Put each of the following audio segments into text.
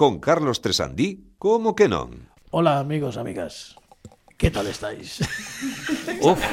con Carlos Tresandí, como que non? Hola, amigos, amigas. ¿Qué tal estáis? Uf,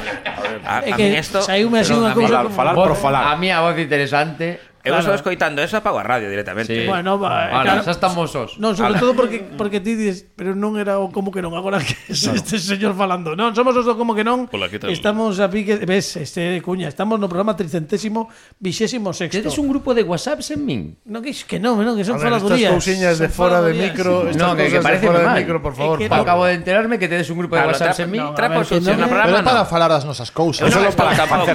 a mí esto... Saíume así unha cousa como... Falar por falar. A mí a voz interesante. Eu estou escoitando eso, apago a radio directamente. Sí. Bueno, Ahora, xa estamos os. Non, sobre todo porque ti dices, pero non era o como que non, agora que este señor falando. Non, somos os do como que non. Estamos a pique, ves, Cuña, estamos no programa 326º. Tedes un grupo de WhatsApps en min? Non, que non, que son Estas faladurías. cousiñas de fora de micro, estas No, que cousas de parece fora de mal. micro, por favor. que Pablo. Acabo de enterarme que tedes un grupo de Pablo, WhatsApps en min. no, Trapo a ver, que sucio non- no Pero programa, é para no. falar das nosas cousas. Eu non Solo para estou tampouco.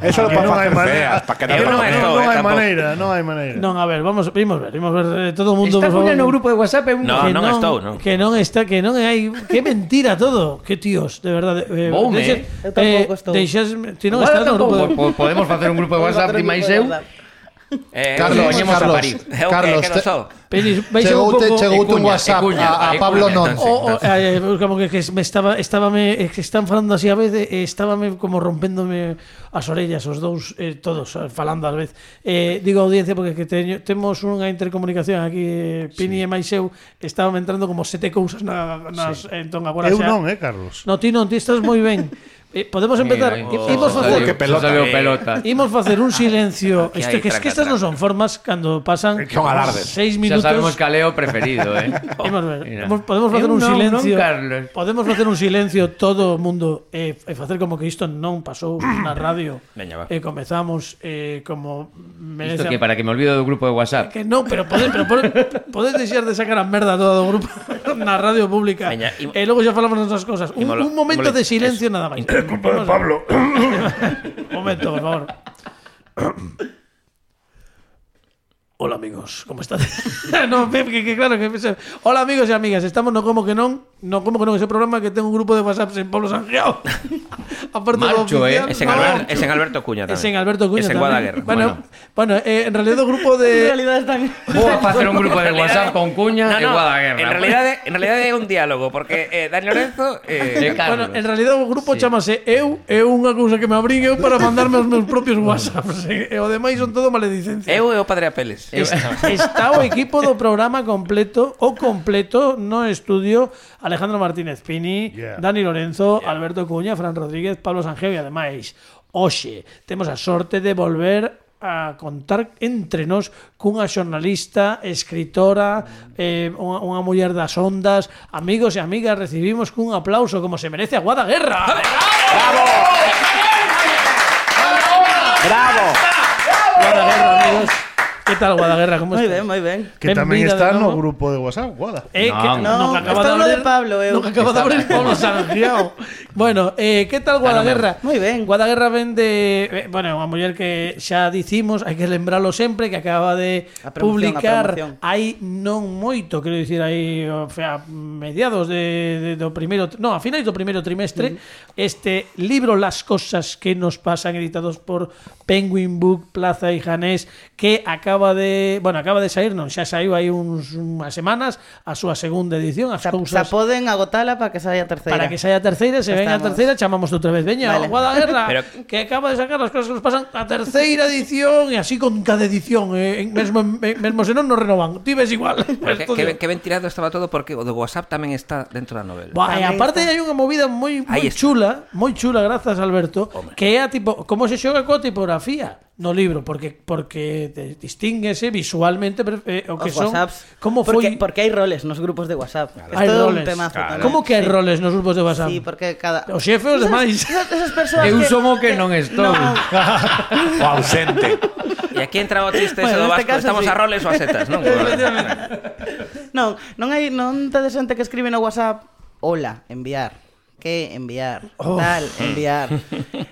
Eso Que para non hai facer maneira. feas, para que Eu non estou, Non hai tampouco. maneira, non hai maneira. Non, a ver, vimos ver todo o mundo, Está por favor. Cuña no grupo de WhatsApp é un... No, Que non estou, non. Que non está, que non hai, que mentira todo. Que tíos, de verdade. Boume, Eu tampouco estou. Ti non estás no grupo de... Podemos facer un grupo de WhatsApp de máis eu. Carlos, Poñemos a Carlos, parir. Eu Carlos, que non sou. Penis, vais a un pouco... chegoute un Cuña, WhatsApp Cuña, a Pablo non. Como que me estábame que están falando así a vez, estábame como rompéndome as orellas os dous, todos falando a vez. Digo audiencia porque que temos unha intercomunicación aquí, Pini e máis eu, estábame entrando como 7 cousas nas entón agora Eu xa. non, Carlos. No, ti non, ti estás moi ben. Podemos empezar. Imos facer que pelota. pelota. Imos facer un silencio. Aquí Isto hai que estas non son formas cando pasan Que son alardes. 6 Xa minutos. sabemos caleo preferido, Imos ver. Mira. Podemos facer Eu un non, silencio. non, Carlos. Podemos facer un silencio todo o mundo e facer como que isto non pasou na radio. Veña, va. E comezamos como merece. Isto que para que me olvido do grupo de WhatsApp. Que non, pero podes deixar de sacar a merda todo o grupo na radio pública. Veña, E logo xa falamos das cosas. Un momento de silencio nada máis. Pablo. Un momento, por favor. Hola amigos, ¿cómo están? No, que claro que hola amigos e amigas, estamos no como que non, ese programa que ten un grupo de WhatsApp en Pablo Sangiao. Aparte Marcho, do oficial, Es en Alberto Cuña tamén. Es en Alberto Cuña Es en tamén. Guadaguerra. Bueno, en realidad o grupo En de realidad están... Vou a facer un grupo de WhatsApp con Cuña e Guadaguerra. En realidad é un diálogo, porque Dani Lorenzo... Bueno, en realidad o grupo chamase Eu é unha cousa que me abrín eu para mandarme os meus propios WhatsApps. E o demais son todo maledicencia. Eu e o Padre Apeles. Está o equipo do programa completo no estudio Alejandro Martínez Pini, Dani Lorenzo, Alberto Cuña, Fran Rodríguez, Pablo Sanjeo e ademais hoxe temos a sorte de volver a contar entre nós cunha xornalista, escritora, unha muller das ondas. Amigos e amigas, recibimos cun aplauso como se merece a Guadaguerra. Bravo. Guadaguerra, amigos. Que tal, Guadaguerra? ¿Cómo estás? Moi ben. Que tamén Benvida está de no novo. grupo de WhatsApp, Guada. Que No, que acaba está de no de abrir Pablo, eu. No que acaba de abrir Pablo Sangiao. Bueno, que tal Guadaguerra? Moi ben. Guadaguerra ven de bueno, unha muller que xa dicimos, hai que lembralo sempre, que acaba de A promoción, publicar a promoción. hai non moito, quero dicir, aí a mediados do primeiro, no, a finais do primeiro trimestre, este libro Las cosas que nos pasan, editados por Penguin Book, Plaza y Janés, que acaba de sair, non, xa saiu aí unhas semanas a súa segunda edición, as Xa cousas poden agotala para que saia a terceira. para que saia a terceira, se Ya ven a estamos. terceira chamamos outra vez, veña, Vale. Guadaguerra, Pero- que acaba de sacar as cosas que nos pasan a terceira edición e así con cada edición, mesmo se non nos renovan, ti ves igual. Que ben tirado estaba todo, porque o do WhatsApp tamén está dentro da novela. Buah, e Tamén aparte está. hai unha movida moi Aí está. chula, grazas Alberto, que é a tipo, como se xoga coa tipografía no libro, porque distínguese visualmente o que Os son, WhatsApps. como Porque hai roles nos grupos de WhatsApp. Hai Isto é un roles. temazo tamén. Como que hai roles nos grupos de WhatsApp? Sí, porque cada... O xefe e os demais. Esas persoas Eu que... son o que non estou. O ausente. E aquí entra o triste ese Bueno, do neste Vasco, caso estamos sí. a roles ou a setas, non? Non tedes xente que escribe no WhatsApp: hola, enviar. Que enviar. Tal, enviar.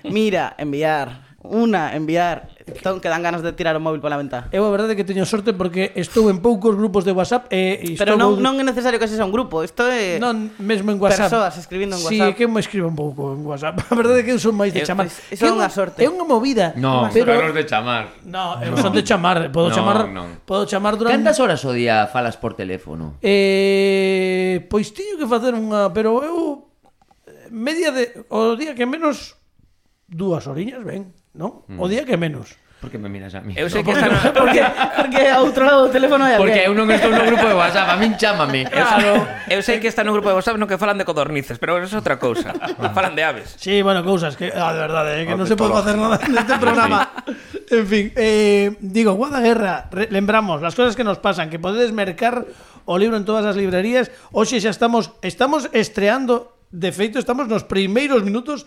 Mira, enviar. Una, enviar. Entón que dan ganas de tirar o móvil pola ventá. Eu a verdade é que teño sorte porque estou en poucos grupos de WhatsApp e Pero non é necesario que sexa un grupo. Isto é non mesmo en WhatsApp. persoas escribindo en Sí, WhatsApp. que eu me escribo un pouco en WhatsApp. A verdade é que eu son máis de chamar. Iso é unha sorte. É unha movida. No, pero Carlos de chamar. no, eu son de chamar, podo chamar, non. podo chamar durante Cantas horas o día falas por teléfono? Pois teño que facer unha, pero eu media de o día que menos 2 horiñas, ben, non? O día que menos. Por que me miras a mí? Eu sei que está Porque a outro lado do teléfono hai Porque alguén. eu non estou no grupo de WhatsApp, a min chámame. Eu sei que está no grupo de WhatsApp no que falan de codornices, pero eso é outra cousa. Falan de aves. Sí, bueno, cousas que, de verdade, que non se pode facer nada neste programa. En fin, digo, Guadaguerra, lembramos las cosas que nos pasan, que podedes mercar o libro en todas as librerías. Hoxe xa estamos estreando, de feito, estamos nos primeiros minutos,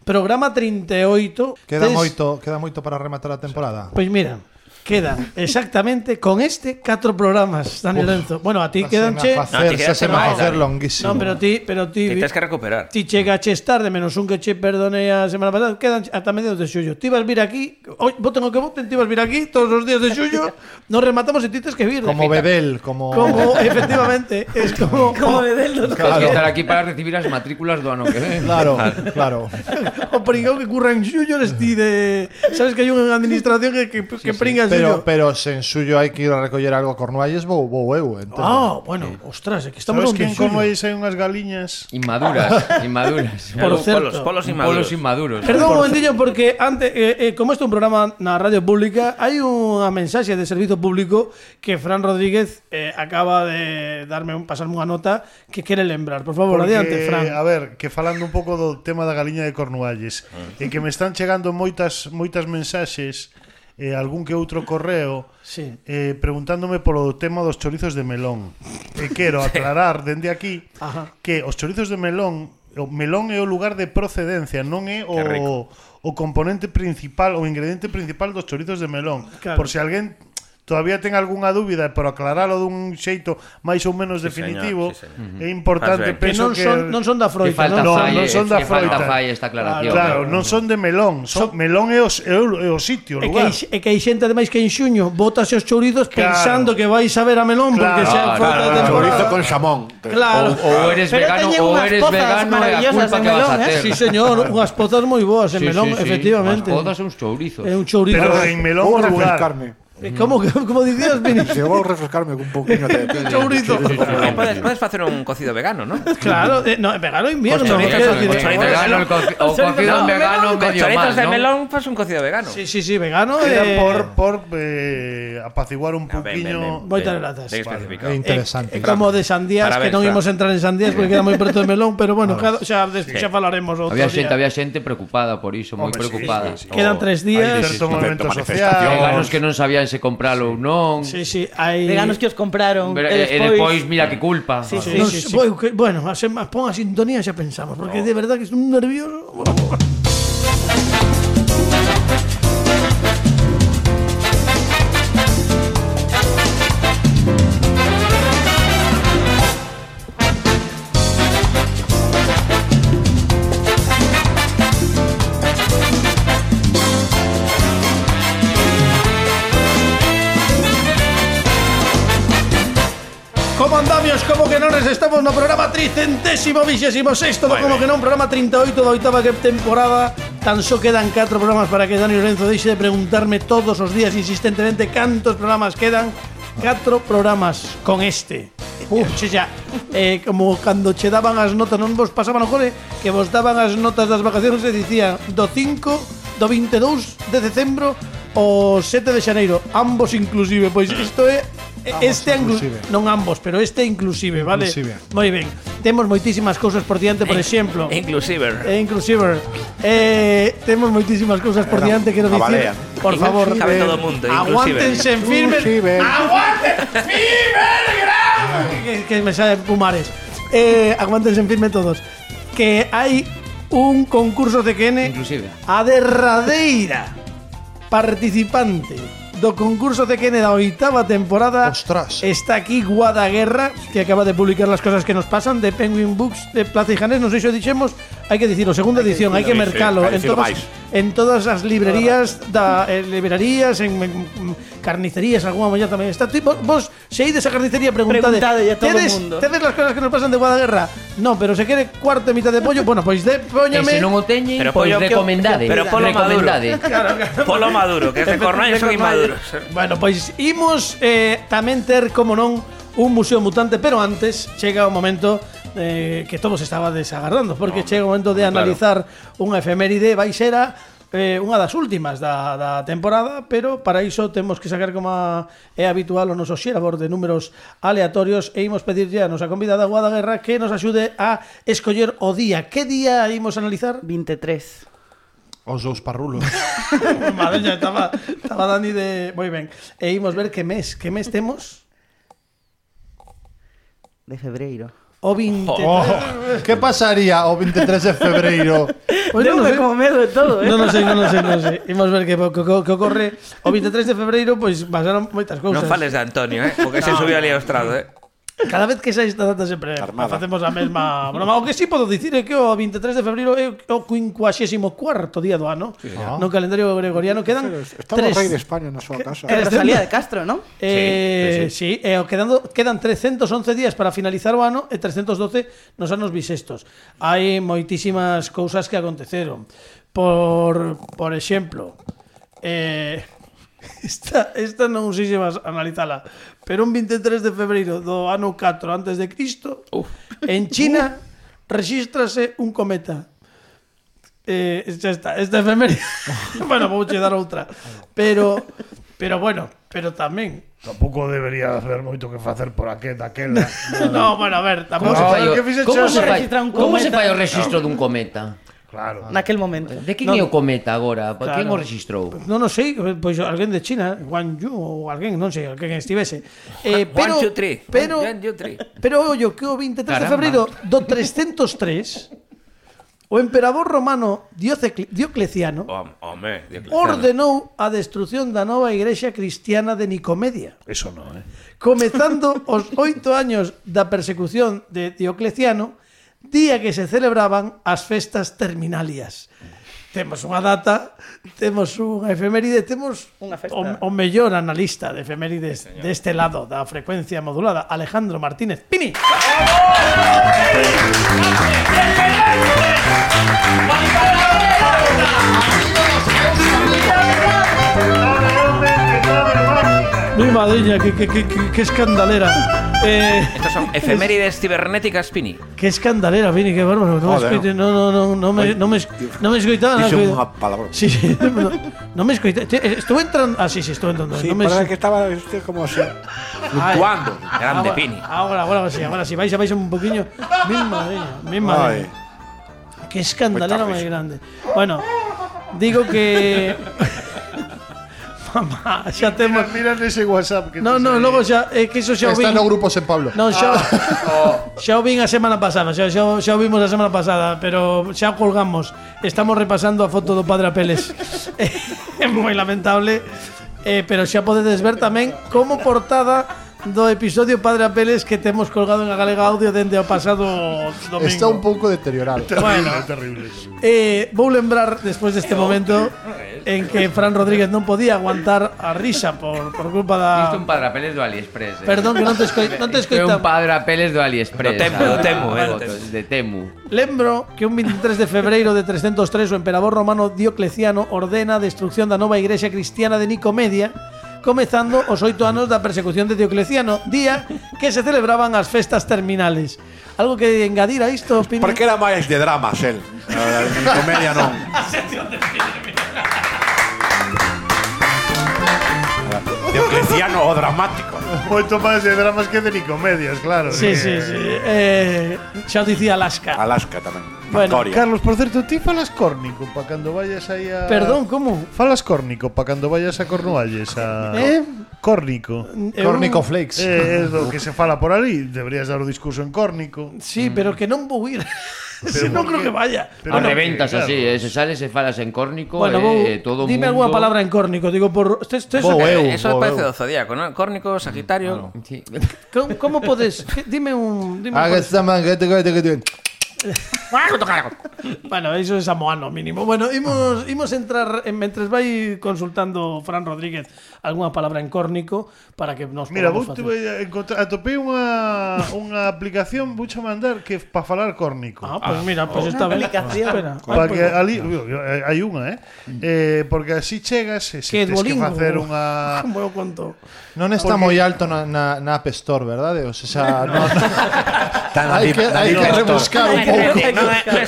programa 38. Queda moito para rematar a temporada. Pois mira, quedan exactamente con 4 programas, Dani Lorenzo. Bueno, a ti quedanche... Se me va a hacer longuísimo. No, pero ti Ti tens que recuperar. ti chegaches tarde, menos un que che perdonei a semana pasada, quedan ata mediados de xullo. Ti vas vir aquí, voten o que voten, ti vas vir aquí todos os días de xullo, nos rematamos e ti tes que vir. Como Bedel, como Efectivamente, es como Bedel dos Tens que estar aquí para recibir as matrículas do ano que ven. Claro. o pringao que curra en xullo eres ti de... Sabes que hai unha administración que pringa en xullo. Pero sen suyo hai que ir a recoller algo a Cornualles, vou eu, entendo. Bueno, ostras, é que estamos Sabes que en en xullo. Cornualles hai unhas galiñas? Inmaduras. Por certo. Polos Polos inmaduros. inmaduros. Perdón un momentillo porque antes, como este é un programa na radio pública, hai unha mensaxe de servizo público que Fran Rodríguez acaba de pasarme unha nota que quere lembrar. Por favor, Porque, adiante, Fran. a ver, que falando un pouco do tema da galiña de Cornualles, e que me están chegando moitas mensaxes, algún que outro correo, Sí. preguntándome polo tema dos chorizos de melón. E quero aclarar dende aquí Ajá. que os chorizos de melón, o melón é o lugar de procedencia, non é o componente principal, o ingrediente principal dos chorizos de melón. Claro. Por se alguén todavía ten algunha dúbida, por aclaralo dun xeito máis ou menos definitivo, señor, é importante, Faz ben. Que penso non son da Que froita, falta non? falle, non son da que falta froita. falle esta aclaración. Claro, non son de melón, melón é o sitio, o É lugar. que hai xente ademais que en xuño botas os chourizos Claro. pensando que vais a ver a melón porque Claro, xa é froita de temporada. Chorizo con xamón. Claro. Ou eres Pero vegano teñen ou unhas eres pozas vegano e a maravillosas culpa de que vas a melón, ter. Sí, señor, unhas pozas moi boas en melón, efectivamente. As podas son uns chourizos. É un chourizo. Pero en melón Vou o lugar. refrescarme. Como dicías, Vini? Se vou refrescarme con un pouquinho de Chourizo. Podes facer un cocido vegano, ¿no? Claro, no, vegano invierno. Os chorizos quero son- decir, os chorizos Vegano, o cocido en vegano medio Chorizos mal, de ¿no? melón, pues un cocido vegano. Sí, vegano. Era por apaciguar un pouquiño. Moitas grazas. Ben especificado. É interesante. Como de sandías, Parabéns, que non Fran. imos entrar en sandías porque queda moi preto de melón, pero bueno, xa falaremos outro Había día. xente preocupada por iso, moi Hombre, preocupada. Quedan 3 Hai días. certo momento manifestación. Veganos social. que non sabían se compralo ou non. Sí, hai Veganos que os compraron. E despois, mira que culpa. Sí, sí. Bueno, pon a sintonía e xa pensamos, porque de verdad que estou nervioso. Como andamios, como que non estamos no programa 326º do Como que non, programa 38 da oitava temporada. Tan só quedan 4 programas para que Dani Lorenzo deixe de preguntarme todos os días insistentemente cantos programas quedan. 4 programas con este. Xa, como cando che daban as notas, non vos pasaban o cole, que vos daban as notas das vacacións e dicían do 5, do 22 de decembro o 7 de xaneiro, ambos inclusive. Pois isto é este inclusive. non ambos, pero este inclusive, vale? Inclusive. Moi ben. Temos moitísimas cousas por diante, por exemplo. Inclusive. Inclusive. Temos moitísimas cousas por diante, quero dicir. Avalean. Por favor, Cabe todo o mundo, aguántense en firmes. Inclusive. Aguántense firmes, que me sale Pumares. Aguántense en firme todos. Que hai un concurso de CQN. Inclusive. A derradeira participante do concurso CQN da oitava temporada. Ostras. Está aquí Guadaguerra, que acaba de publicar las cosas que nos pasan, de Penguin Books, de Plaza y Janés. Non sei se o dixemos, hai que dicirlo, segunda edición, hai que mercalo en todas as librerías, librerías, en carnicerías, alguna molla tamén está. Vos, se ides a carnicería, preguntade Preguntade a todo o mundo. tedes las cosas que nos pasan de Guadaguerra? No, pero se quere cuarto e mitad de pollo, bueno, pois póñame. E se non o teñen, Pero pois pollo que- recomendade. pero polo maduro. Recomendade. Polo maduro, que es de Cornualles son inmaduros. Bueno, pois imos tamén ter, como non, un museo mutante, pero antes chega o momento que todos estaba desagardando, porque chega o momento de analizar unha efeméride. Vai ser a unha das últimas da temporada, pero para iso temos que sacar, como é habitual, o noso xerador de números aleatorios, e imos pedirlle a nosa convidada Guada Guerra que nos axude a escoller o día. Que día imos a analizar? 23. Os dous parrulos. Madre, estaba Dani de... Moi ben. E imos ver que mes temos. De febreiro. O 23. Que pasaría o 23 de febreiro? Pois non Deume sei. como medo de todo, Non sei. Imos ver que ocorre o 23 de febreiro, pois pasaron moitas cousas. Non fales de Antonio, porque se subiu ali ao estrado, Cada vez que sai esta data sempre facemos a mesma broma. O que sí podo dicir é que o 23 de febreiro é o 54º día do ano. No calendario gregoriano quedan Estaba o rei de España na súa casa. É Rosalía de Castro, non? Sí, quedan 311 días para finalizar o ano e 312 nos anos bisestos. Hai moitísimas cousas que aconteceron. Por exemplo, esta non sei se vas a analizala, pero un 23 de febreiro do ano 4 antes de Cristo, en China rexístrase un cometa. Xa está, esta efeméride. Bueno, vou che dar outra. Pero tamén Tampouco debería haber moito que facer por daquela. no, bueno, a ver, tampouco Como se cometa? fai o rexistro dun cometa? Claro. Naquel momento. De quen é o cometa agora? Claro. Quen o registrou? Non sei, pois alguén de China, Wang Yu ou alguén, non sei, alguén estivese. Pero ollo que o 23 de febreiro do 303 o emperador romano Diocleciano ordenou a destrucción da nova igrexa cristiana de Nicomedia. Eso non, Comezando os 8 años da persecución de Diocleciano, día que se celebraban as festas terminalias. Temos unha data, temos unha efeméride, temos Unha festa. o mellor analista de efemérides deste lado da frecuencia modulada, Alejandro Martínez Pini. Mi madriña, que escandalera. Estas son efemérides cibernéticas, Pini. Que escandalera, Pini, que bárbaro. No me escoitaba. Dixo unha palabra. Sí, no me escoitaba. Estuve entrando. Sí, estuve entrando. Sí, parece que estaba como así, fluctuando. Grande, Pini. Ahora sí. Vais un poquinho. Mi madriña. Que escandalera máis grande. Bueno, digo que... Mamá, xa temos... Mira nese WhatsApp que No, logo xa... É que iso xa o vin... Está no grupo Sen Pablo. Non, xa o vin a semana pasada. Xa o vimos a semana pasada, pero xa colgamos. Estamos repasando a foto do Padre Apeles. É moi lamentable, pero xa podedes ver tamén como portada do episodio Padre Apeles que temos colgado en a Galega Audio dende o pasado domingo. Está un pouco deteriorado. Terrible. Vou lembrar despois deste momento en que Fran Rodríguez non podía aguantar a risa por culpa da... Isto é un Padre Apeles do AliExpress. Perdón, que non te É un Padre Apeles do AliExpress. Do Temu. De Temu. Lembro que un 23 de febreiro de 303 o emperador romano Diocleciano ordena a destrucción da nova igrexa cristiana de Nicomedia, comezando os 8 anos da persecución de Diocleciano, día que se celebraban as festas terminales. Algo que engadir a isto, Pini? Porque era máis de dramas, el. Comedia non. Diocleciano o dramático. Moito máis de dramas que de Nicomedias, claro. Sí. Xa o dicía Alaska. Alaska tamén. Bueno, Victoria. Carlos, por certo, ti falas córnico para cando vayas aí a... Perdón, como? Falas córnico para cando vayas a Cornualles a... Córnico. Córnico Flakes. É do que se fala por ali. Deberías dar o discurso en córnico. Sí, pero que non vou ir. Non creo que vaya. A reventas así, se sales e falas en córnico, Bueno, todo o mundo... dime alguna palabra en córnico. Digo, por... Eso parece do zodiaco, ¿no? Córnico, Sagitario. Sí. ¿Cómo podes? Dime un... Bueno, iso é samoano mínimo. Bueno, imos entrar mentres vai consultando Fran Rodríguez algunha palabra en córnico para que nos Mira, podamos vou facer. atopei unha aplicación vouche mandar que para falar córnico. Pues mira, pues está ben. Espera. Para que ali hai unha, porque así chegas e se tens que facer unha... Como eu conto. Non está moi alto na App Store, verdade? O sea, no... Hai que rebuscar un Non é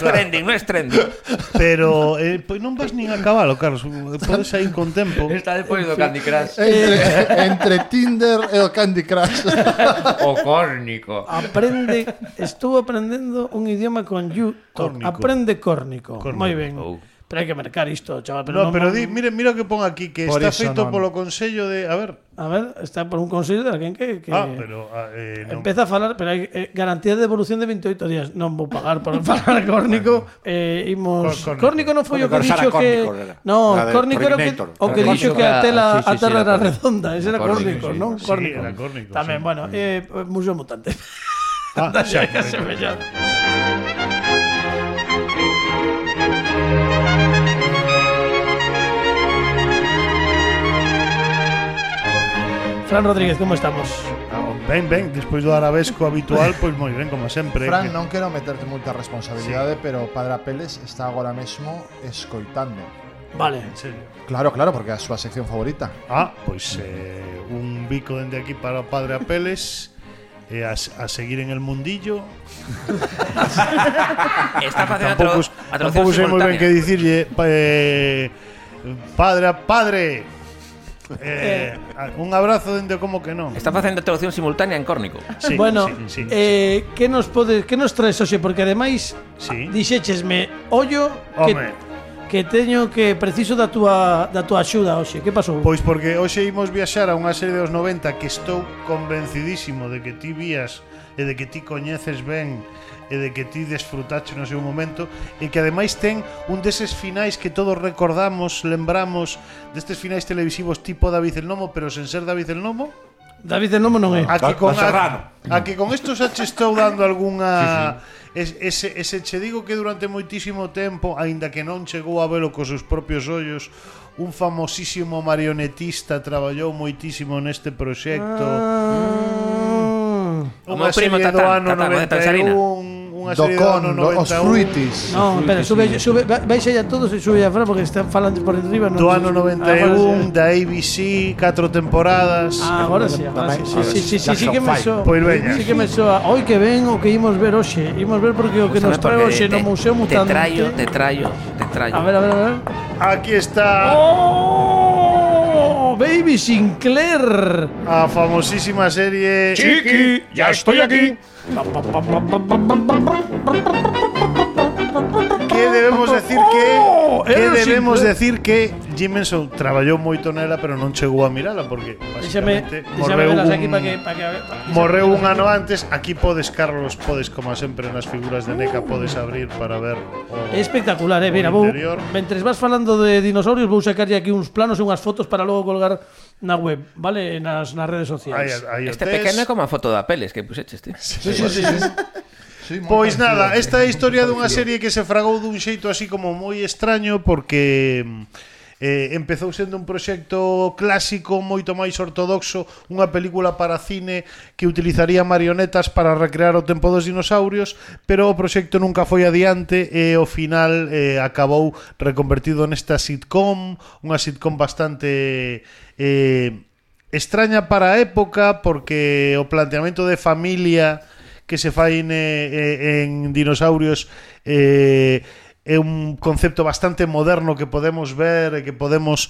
trending. Pero pois non vas nin a cabalo, Carlos. Podes sair con tempo. Está depois do Candy Crush. Entre Tinder e o Candy Crush. O córnico. Estuvo aprendendo un idioma con YouTube. Córnico. Aprende córnico. Moi ben. Pero hai que mercar isto, chaval. Pero mira o que pon aquí, que Por está iso feito non. polo consello de... A ver, está por un consello de alguén que pero... non. empeza a falar, pero hai garantía de devolución de 28 días. Non vou pagar por falar córnico. Córnico non foi o que dixo que... No, córnico era o que dixo que a terra era redonda. Ese era córnico, non? Sí, era córnico. Tamén, bueno, Museo Mutante. Xa, Fran Rodríguez, como estamos? Ben, despois do arabesco habitual, pois moi ben, como sempre. Fran, non quero meterte moita responsabilidade, pero Padre Apeles está agora mesmo escoitando. Vale. En serio. Claro, porque é a súa sección favorita. Pois un bico dende aquí para o Padre Apeles e a seguir en el mundillo. Está facendo a traducción Tampouco sei moi ben que dicirlle Padre un abrazo dende como que non. Está facendo a traducción simultánea en córnico. Sí, Bueno, sí. que nos traes hoxe? Porque ademais dixéchesme ollo que teño que preciso da túa axuda hoxe. Que pasou? Pois porque hoxe imos viaxar a unha serie dos 90 que estou convencidísimo de que ti vías e de que ti coñeces ben e de que ti desfrutache no seu momento e que ademais ten un deses finais que todos recordamos, lembramos destes finais televisivos tipo David el Nomo, pero sen ser David el Nomo. David el Nomo non é. A que con isto xa che estou dando algunha... Ese che digo que durante moitísimo tempo, aínda que non chegou a velo cos seus propios ollos, un famosísimo marionetista traballou moitísimo neste proxecto. Unha serie do ano 91, unha serie do ano 91. Os Fruitis. No, espera, sube, baixa ya todos e sube ya Fran porque están falando por enriba. Do ano 91, da ABC, 4 temporadas. Agora sí, sí que me soa. Pois veña. Sí que me soa. Hoy que ven o que imos ver hoxe. Imos ver porque o que nos trae hoxe no Museo Mutante. Te traio. A ver. Aquí está. ¡Oh! Baby Sinclair. A famosísima serie Chiqui, ya estoy aquí. Que debemos decir que Jim Henson traballou moito nela, pero non chegou a mirala porque basicamente morreu un ano antes. Aquí podes, Carlos, como sempre nas figuras de NECA podes abrir para ver É espectacular, mira, mentres vas falando de dinosaurios vou sacarlle aquí uns planos e unhas fotos para logo colgar na web, vale? Nas redes sociais. Este pequeno é como a foto da Peles que puxeches, ti. Sí. Pois nada, esta é a historia dunha serie que se fragou dun xeito así como moi extraño porque empezou sendo un proxecto clásico moito máis ortodoxo, unha película para cine que utilizaría marionetas para recrear o tempo dos dinosaurios, pero o proxecto nunca foi adiante e ao final acabou reconvertido nesta sitcom, unha sitcom bastante extraña para a época porque o planteamento de familia que se fai en dinosaurios é un concepto bastante moderno que podemos ver e que podemos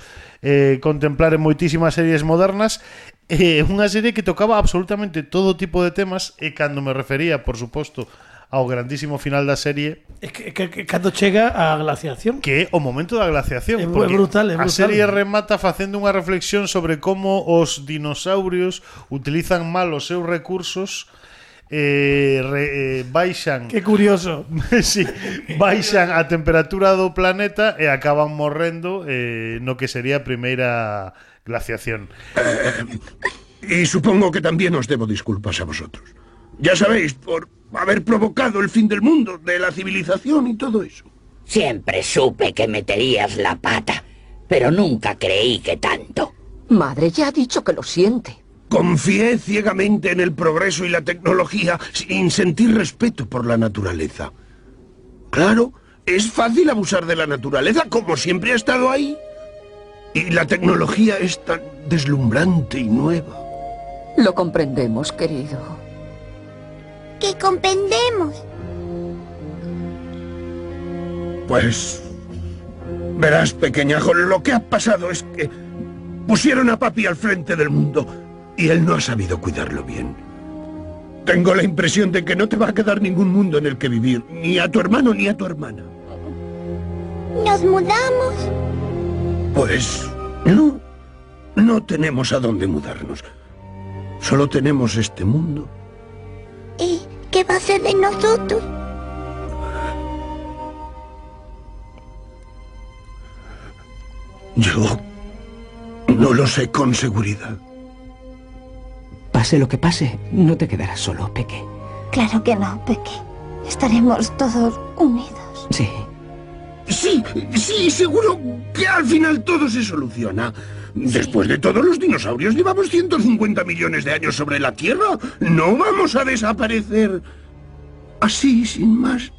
contemplar en moitísimas series modernas. Unha serie que tocaba absolutamente todo tipo de temas e cando me refería, por suposto, ao grandísimo final da serie que cando chega a glaciación, que é o momento da glaciación, é brutal. A serie remata facendo unha reflexión sobre como os dinosaurios utilizan mal os seus recursos, baixan, que curioso. Sí, baixan a temperatura do planeta e acaban morrendo no que sería a primeira glaciación. Y supongo que también os debo disculpas a vosotros. Ya sabéis, por haber provocado el fin del mundo, de la civilización y todo eso. Siempre supe que meterías la pata, pero nunca creí que tanto. Madre ya ha dicho que lo siente. Confié ciegamente en el progreso y la tecnología sin sentir respeto por la naturaleza. Claro, es fácil abusar de la naturaleza, como siempre ha estado ahí. Y la tecnología es tan deslumbrante y nueva. Lo comprendemos, querido. ¿Qué comprendemos? Pues... verás, pequeñajo, lo que ha pasado es que pusieron a papi al frente del mundo y él no ha sabido cuidarlo bien. Tengo la impresión de que no te va a quedar ningún mundo en el que vivir, ni a tu hermano ni a tu hermana. ¿Nos mudamos? Pues... no tenemos a dónde mudarnos. Solo tenemos este mundo. ¿Y qué va a ser de nosotros? Yo no lo sé con seguridad. Pase lo que pase, no te quedarás solo, Peque. Claro que no, Peque. Estaremos todos unidos. Sí. Sí, seguro que al final todo se soluciona. Después de todo, los dinosaurios llevamos 150 millones de años sobre la Tierra. No vamos a desaparecer así, sin más.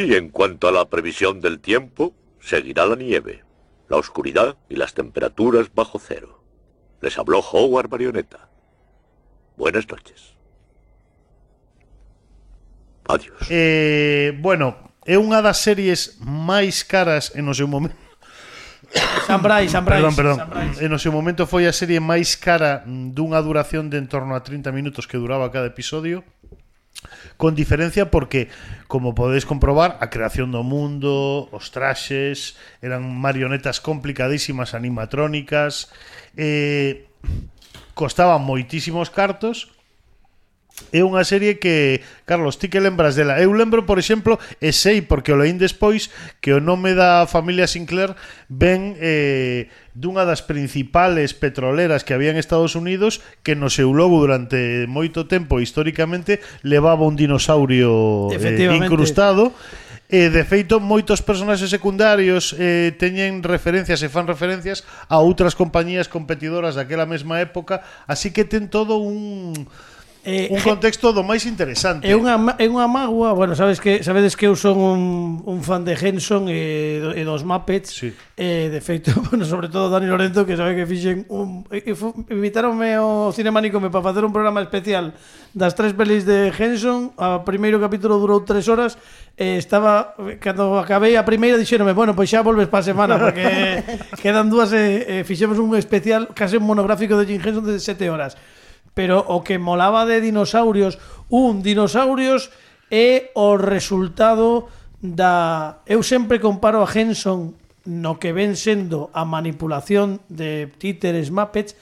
En cuanto a la previsión del tiempo, seguirá la nieve, la oscuridad y las temperaturas bajo cero. Les habló Howard Marioneta. Buenas noches. Adiós. Bueno, é unha das series máis caras en o seu momento. Sam Bryce. Perdón. En o seu momento foi a serie máis cara dunha duración de en torno a 30 minutos que duraba cada episodio. Con diferencia porque, como podedes comprobar, a creación do mundo, os traxes, eran marionetas complicadísimas, animatrónicas, costaban moitísimos cartos. É unha serie que, Carlos, ti que lembras dela? Eu lembro, por exemplo, e sei, porque o leín despois, que o nome da familia Sinclair ven dunha das principales petroleras que había en Estados Unidos, que no seu logo durante moito tempo, históricamente, levaba un dinosaurio incrustado. De feito, moitos personaxes secundarios teñen referencias e fan referencias a outras compañías competidoras daquela mesma época, así que ten todo un contexto do máis interesante. É unha mágoa, bueno, sabedes que eu son un fan de Henson e dos Muppets. Sí. De feito, bueno, sobre todo Dani Lorenzo, que sabe que fixen invitaronme ao Cinemanicome para facer un programa especial das 3 pelis de Henson. O primeiro capítulo durou 3 horas. Estaba, cando acabei a primeira, dixéronme, bueno, pois xa volves para a semana, porque quedan 2 e fixemos un especial, case un monográfico de Jim Henson de 7 horas. Pero o que molaba de dinosaurios é o resultado da... Eu sempre comparo a Henson no que ven sendo a manipulación de títeres Muppets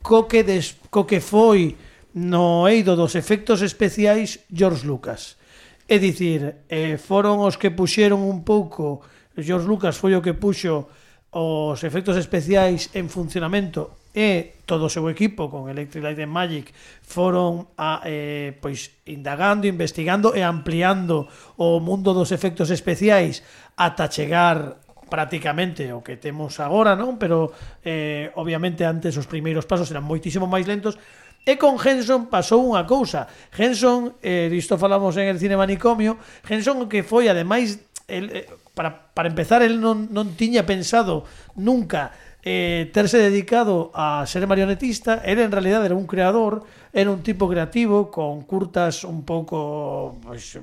co que foi no eido dos efectos especiais George Lucas. É dicir, foron os que puxeron un pouco... George Lucas foi o que puxo os efectos especiais en funcionamento e todo o seu equipo con Electric Light and Magic foron pois indagando, investigando e ampliando o mundo dos efectos especiais ata chegar prácticamente o que temos agora, non? Pero obviamente antes os primeiros pasos eran moitísimo máis lentos. E con Henson pasou unha cousa. Henson, disto falamos en el Cinemanicomio, Henson que foi ademais para empezar, el non tiña pensado nunca terse dedicado a ser marionetista. Él en realidad era un creador, era un tipo creativo con curtas un pouco pues,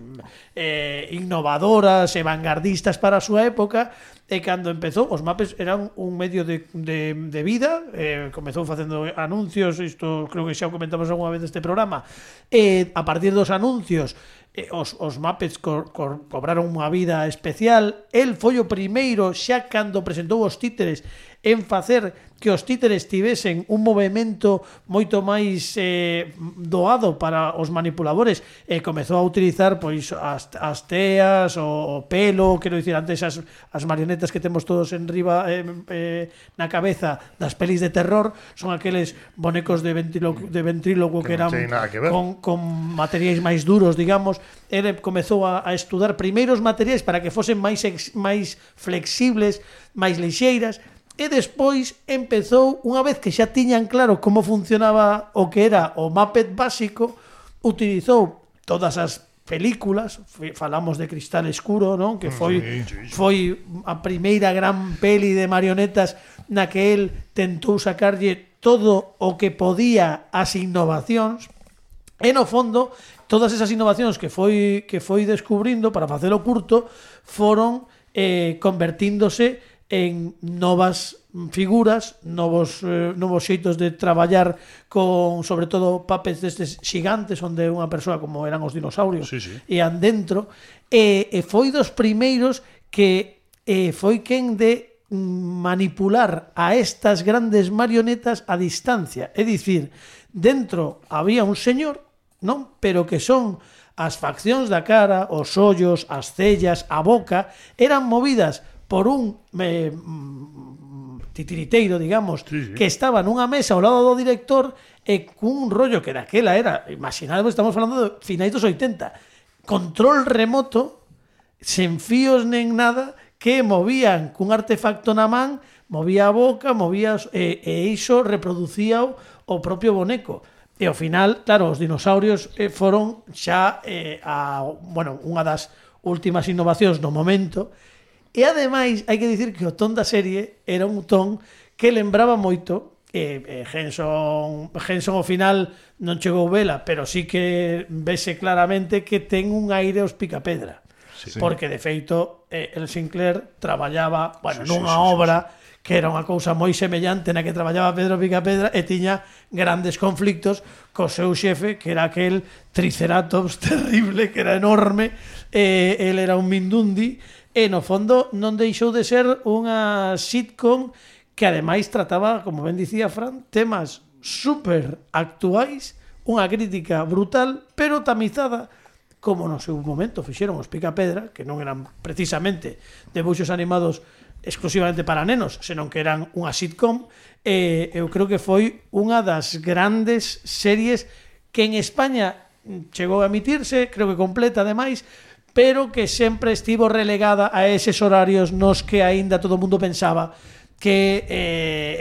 innovadoras e vanguardistas para a súa época, e cando empezou os Muppets eran un medio de vida. Comezou facendo anuncios, isto creo que xa o comentamos algunha vez neste programa, e a partir dos anuncios os Muppets cobraron unha vida especial. El foi o primeiro, xa cando presentou os títeres, en facer que os títeres tivesen un movimento moito máis doado para os manipuladores, e comezou a utilizar pois as teas, o pelo, quero dicir, antes as marionetas que temos todos en riba na cabeza das pelis de terror son aqueles bonecos de ventrílogo que eran con materiais máis duros, digamos. Ele comezou a estudar primeiros materiais para que fosen máis flexibles, máis lixeiras. E despois empezou, unha vez que xa tiñan claro como funcionaba o que era o Muppet básico, utilizou todas as películas, falamos de Cristal Escuro, non? Que foi a primeira gran peli de marionetas na que el tentou sacarlle todo o que podía as innovacións, e no fondo todas esas innovacións que foi descubrindo para facelo curto foron convertíndose en novas figuras, novos xeitos de traballar con, sobre todo, puppets destes xigantes onde unha persoa como eran os dinosaurios ian dentro, e foi dos primeiros que foi quen de manipular a estas grandes marionetas a distancia, é dicir, dentro había un señor, non? Pero que son as faccións da cara, os ollos, as cellas, a boca, eran movidas por un titiriteiro, digamos, que estaba nunha mesa ao lado do director e cun rollo que daquela era, imaginadvos, estamos falando de finais dos 80, control remoto, sen fíos nen nada, que movían cun artefacto na man, movía a boca, e iso reproducía o propio boneco. E ao final, claro, os dinosaurios foron xa unha das últimas innovacións no momento. E ademais, hai que dicir que o ton da serie era un ton que lembraba moito, Henson ao final non chegou vela, pero sí que vese claramente que ten un aire aos Picapedra, porque de feito el Sinclair traballaba nunha obra que era unha cousa moi semellante na que traballaba Pedro Picapedra, e tiña grandes conflictos co seu xefe, que era aquel Triceratops terrible, que era enorme, el era un mindundi. E, no fondo, non deixou de ser unha sitcom que, ademais, trataba, como ben dicía Fran, temas super actuais, unha crítica brutal, pero tamizada, como no seu momento fixeron os Picapedra, que non eran precisamente debuxos animados exclusivamente para nenos, senón que eran unha sitcom, e eu creo que foi unha das grandes series que en España chegou a emitirse, creo que completa, ademais, pero que sempre estivo relegada a eses horarios nos que aínda todo o mundo pensaba que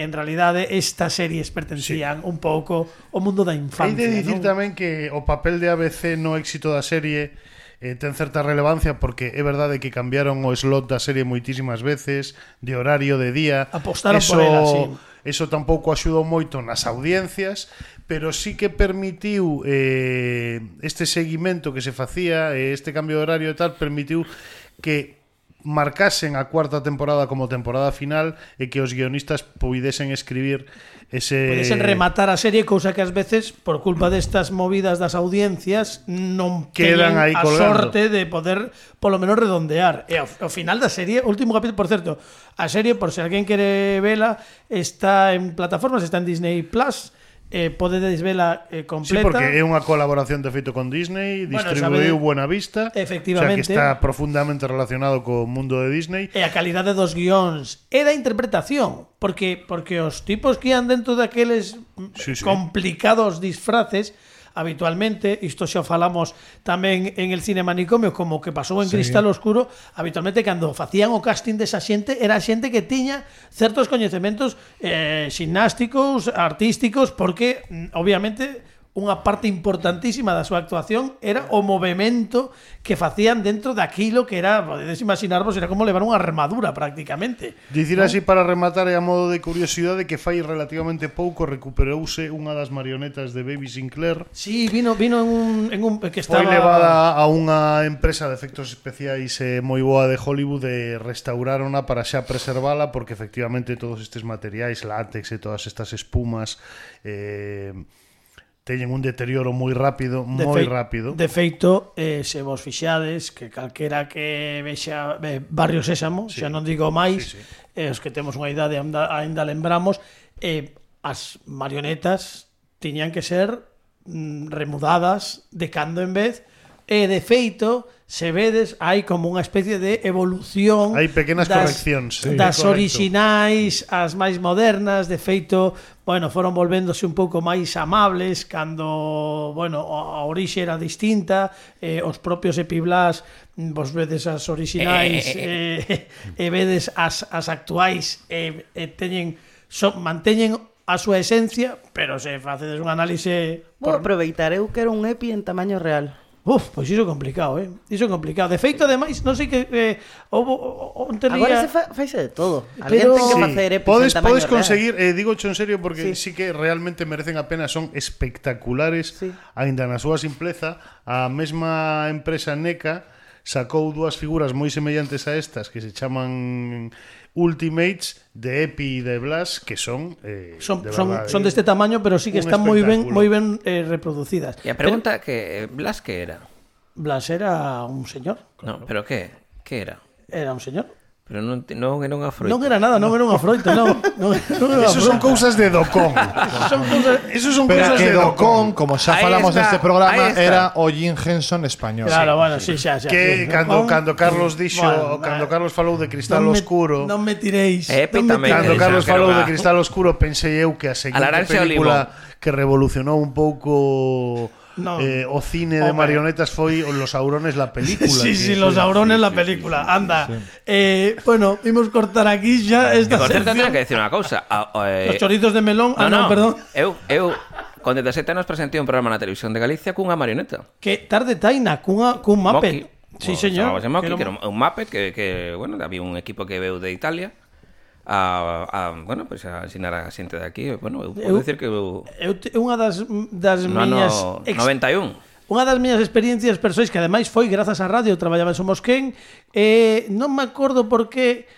en realidade estas series pertencían un pouco ao mundo da infancia. Hai de dicir tamén que o papel de ABC no éxito da serie ten certa relevancia, porque é verdade que cambiaron o slot da serie moitísimas veces, de horario, de día. Apostaron por ela, sí. Eso tampouco axudou moito nas audiencias, pero sí que permitiu este seguimento que se facía, este cambio de horario e tal, permitiu que marcasen a cuarta temporada como temporada final e que os guionistas puidesen escribir puidesen rematar a serie, cousa que ás veces por culpa destas movidas das audiencias non quedan teñen aí a colgando. sorte de poder polo menos redondear. E ao final da serie, último capítulo, por certo, a serie, por se alguén quere vela, está en plataformas, está en Disney Plus. Podedes vela completa. Sí, porque é unha colaboración de feito con Disney, distribuiu Buena Vista, efectivamente, o sea que está profundamente relacionado co mundo de Disney. E a calidade dos guións e da interpretación, porque os tipos que ian dentro daqueles complicados disfraces, habitualmente, isto xa falamos tamén en el cine manicomio, como que pasou en Cristal Oscuro, habitualmente cando facían o casting desa xente, era xente que tiña certos coñecementos ximnásticos, artísticos, porque obviamente unha parte importantísima da súa actuación era o movimento que facían dentro daquilo que era, podedes imaginarvos, era como levar unha armadura prácticamente. Dicir así para rematar e a modo de curiosidade que fai relativamente pouco recuperouse unha das marionetas de Baby Sinclair. Sí, vino en un que estaba... Foi levada a unha empresa de efectos especiais moi boa de Hollywood e restaurarona para xa preservala, porque efectivamente todos estes materiais, látex e todas estas espumas teñen un deterioro moi rápido, De feito, se vos fixades que calquera que vexa Barrio Sésamo, xa non digo máis, os que temos unha idade ainda lembramos, as marionetas tiñan que ser remudadas de cando en vez, e de feito, se vedes, hai como unha especie de evolución. Hai pequenas correccións das orixinais as máis modernas. De feito, bueno, foron volvéndose un pouco máis amables cando, bueno, a orixe era distinta, os propios Epiblas, vos vedes as orixinais e vedes as actuais, manteñen a súa esencia, pero se facedes un análise... Vou aproveitar, eu quero un Epi en tamaño real. Pois iso é complicado, Iso é complicado. De feito, ademais, non sei que agora se faise de todo. Alguén ten que facer epis en tamaño podes conseguir, real. digocho en serio porque sí que realmente merecen a pena, son espectaculares, aínda na súa simpleza. A mesma empresa NECA sacou dúas figuras moi semellantes a estas que se chaman Ultimates de Epi e de Blas, que son deste tamaño, pero sí que están moi ben reproducidas. E a pregunta que Blas que era? Blas era un señor. No, pero que era? Era un señor. Pero non era unha froita. Non era nada, non era unha froita, non. Eso son cousas de Docón. Eso son pero cousas de Docón, como xa falamos neste programa, era o Jim Henson español. Claro, bueno, sí, xa. Que cando Carlos dixo, cando Carlos falou de Cristal Oscuro, non me tiréis. Cando Carlos falou de Cristal Oscuro, pensei eu que a seguinte película que revolucionou un pouco o cine de marionetas foi Los Aurones la película. Sí, Los Aurones la película. Anda. Bueno, vimos cortar aquí xa esta sección. Tengo que decir unha cousa. Los chorizos de melón. Perdón. Eu con 17 anos presentei un programa na televisión de Galicia cunha marioneta. Que tarde taina, cun Muppet. Sí, señor. Que era un Muppet que, bueno, había un equipo que veu de Italia bueno, pues a ensinar a xente de aquí. Bueno, eu podo decir que unha das miñas 91. Unha das miñas experiencias persoais que ademais foi grazas á radio, traballaba en Somosquén, non me acordo por que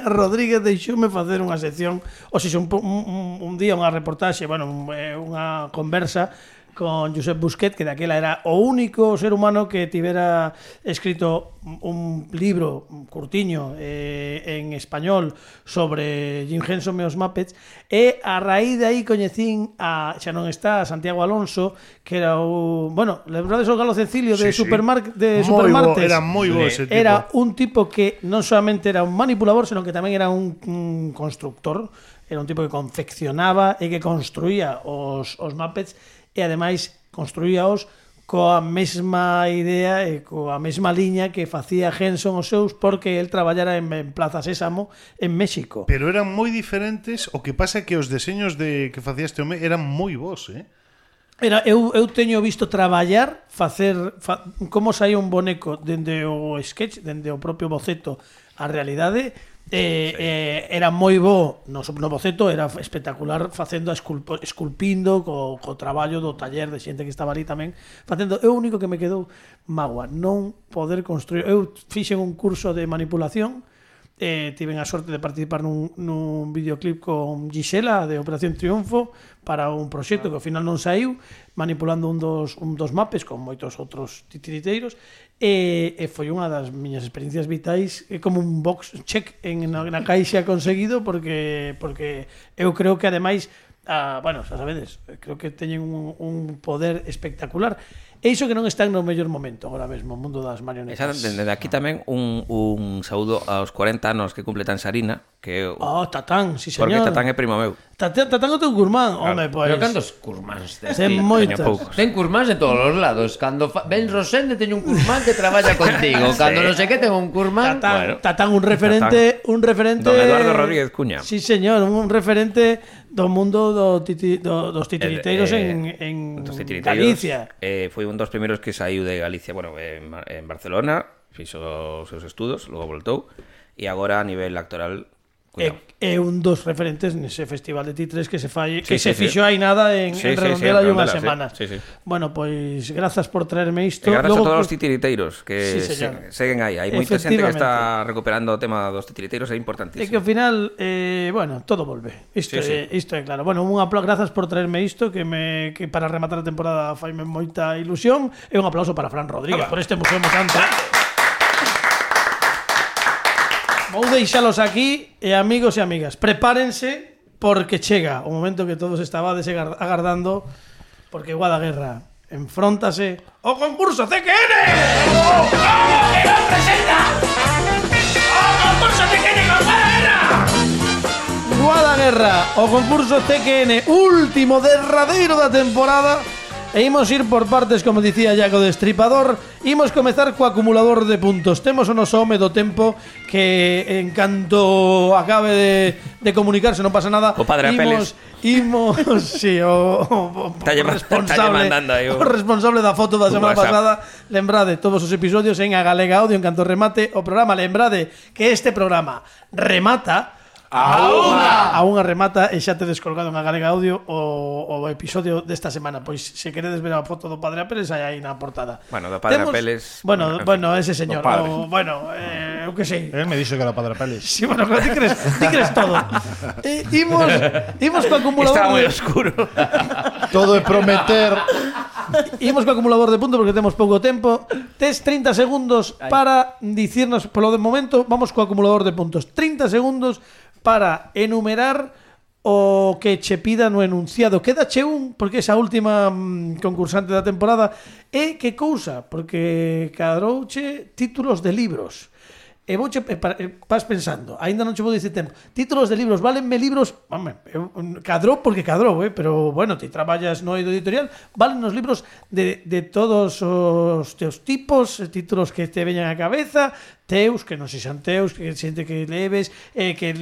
Rodríguez deixoume facer unha sección, ou seja, un día unha reportaxe, bueno, unha conversa con Josep Busquet, que daquela era o único ser humano que tivera escrito un libro curtiño en español sobre Jim Henson e os Muppets, e a raíz de aí coñecín xa non está, a Santiago Alonso, que era bueno, lembrades o Galo Cecilio de Supermartes? Era moi bo ese tipo. Era un tipo que non solamente era un manipulador, senón que tamén era un constructor, era un tipo que confeccionaba e que construía os Muppets, e ademais construíaos coa mesma idea e coa mesma liña que facía Henson os seus, porque el traballara en Plaza Sésamo en México. Pero eran moi diferentes, o que pasa é que os deseños que facía este home eran moi bons, Eu teño visto traballar, como saía un boneco dende o sketch, dende o propio boceto a realidade. Era moi bo no boceto, era espectacular facendo esculpindo co traballo do taller de xente que estaba ali tamén facendo. É o único que me quedou mágoa, non poder construir. Eu fixen un curso de manipulación, tiven a sorte de participar nun videoclip con Gisela de Operación Triunfo para un proxecto que ao final non saiu, manipulando un dos mapes con moitos outros titiriteiros, e foi unha das miñas experiencias vitais, como un box check na caixa conseguido, porque eu creo que ademais, bueno, xa sabedes, creo que teñen un poder espectacular. E iso que non están no mellor momento agora mesmo, o mundo das marionetas. Desde aquí tamén un saúdo aos 40 anos que cumple Tansarina, que Tatán, si señor. Porque Tatán é primo meu. Tatán o teu curmán, home, pois. Pero cantos curmáns tes? Ten moitos. Ten curmáns de todos os lados. Cando Ben Rosende teño un curmán que traballa contigo. Cando non sei que ten un curmán. Tatán un referente. Don Eduardo Rodríguez Cuña. Sí, señor, un referente do mundo dos titiriteiros en Galicia. Foi un dos primeiros que saiu de Galicia, bueno, en Barcelona, fixo os seus estudos, logo voltou, e agora a nivel actoral é un dos referentes nese festival de Titres que se fai, que se fixo hai nada en Redondela hai unha semana. Bueno, pois grazas por traerme isto. E grazas a todos os titiriteiros que seguen aí. Hai moita xente que está recuperando o tema dos titiriteiros, é importantísimo. É que ao final, bueno, todo volve. Isto é claro. Bueno, grazas por traerme isto que para rematar a temporada faime moita ilusión, e un aplauso para Fran Rodríguez por este museo tanto. Vou deixalos aquí e amigos e amigas, prepárense porque chega o momento que todos estabades agardando, porque Guadaguerra enfróntase ao concurso CQN. ¡Vamos, que nos presenta! ¡O concurso CQN con Guadaguerra! Guadaguerra, o concurso CQN último derradeiro da temporada. E imos ir por partes, como dicía Iago Destripador. Imos comezar co acumulador de puntos. Temos o noso home do tempo que en canto acabe de comunicarse non pasa nada. O padre Apeles. Imos, sí, o responsable da foto da semana pasada. Lembrade todos os episodios en A Galega Audio en canto remate o programa. Lembrade que este programa remata a unha remata e xa te descolgado en A Galega Audio o episodio desta semana. Pois se queredes ver a foto do padre Apeles aí na portada. Bueno, do padre Apeles. Bueno, ese señor. Eu que sei. Él me dixo que era o padre Apeles. Sí, bueno, ti crees todo. Imos co acumulador. Está moi oscuro. Todo é prometer. Imos co acumulador de puntos porque temos pouco tempo. Tes 30 segundos para dicirnos, polo de momento, vamos co acumulador de puntos. 30 segundos para enumerar o que che pida no enunciado. Quédache un, porque esa última concursante da temporada. E que cousa, porque cadrouche títulos de libros. E vouche, vas pensando, aínda non che vou dicir tempo. Títulos de libros, valenme libros, cadrou porque cadrou, pero bueno, ti traballas no eido editorial, valen os libros de todos os teus tipos, títulos que te veñan á cabeza, teus, que non sexan teus, que xente que leves, que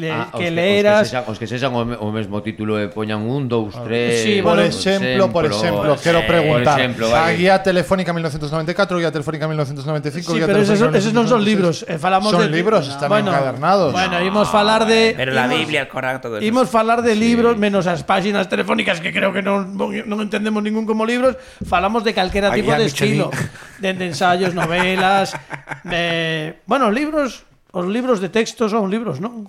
leeras. Os que sexan o mesmo título e poñan 1, 2, 3. Sí, por exemplo, quero preguntar. A guía telefónica 1994, guía telefónica 1995, sí, pero esos non son libros, falamos son libros, están encadernados. Bueno, imos falar de pero la Biblia, el Corán, todo eso. Imos falar de libros menos as páxinas telefónicas que creo que non entendemos ningún como libros, falamos de calquera tipo de estilo, de ensayos, novelas, bueno, os libros de texto son libros, ¿no?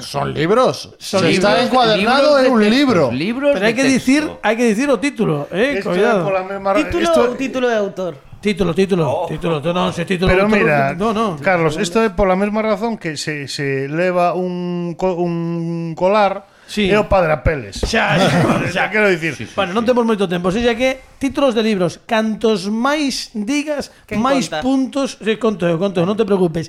Son libros. Está encuadernado en un libro. Pero hai que dicir o título, cuidado. Título de autor. Título. Non, se título. Pero mira, no. Carlos, isto é pola mesma razón que se leva un colar. Sí. É o padre Apeles. Xa quero dicir. Bueno, non temos moito tempo, xa que títulos de libros, cantos máis digas, máis puntos, conto, non te preocupes.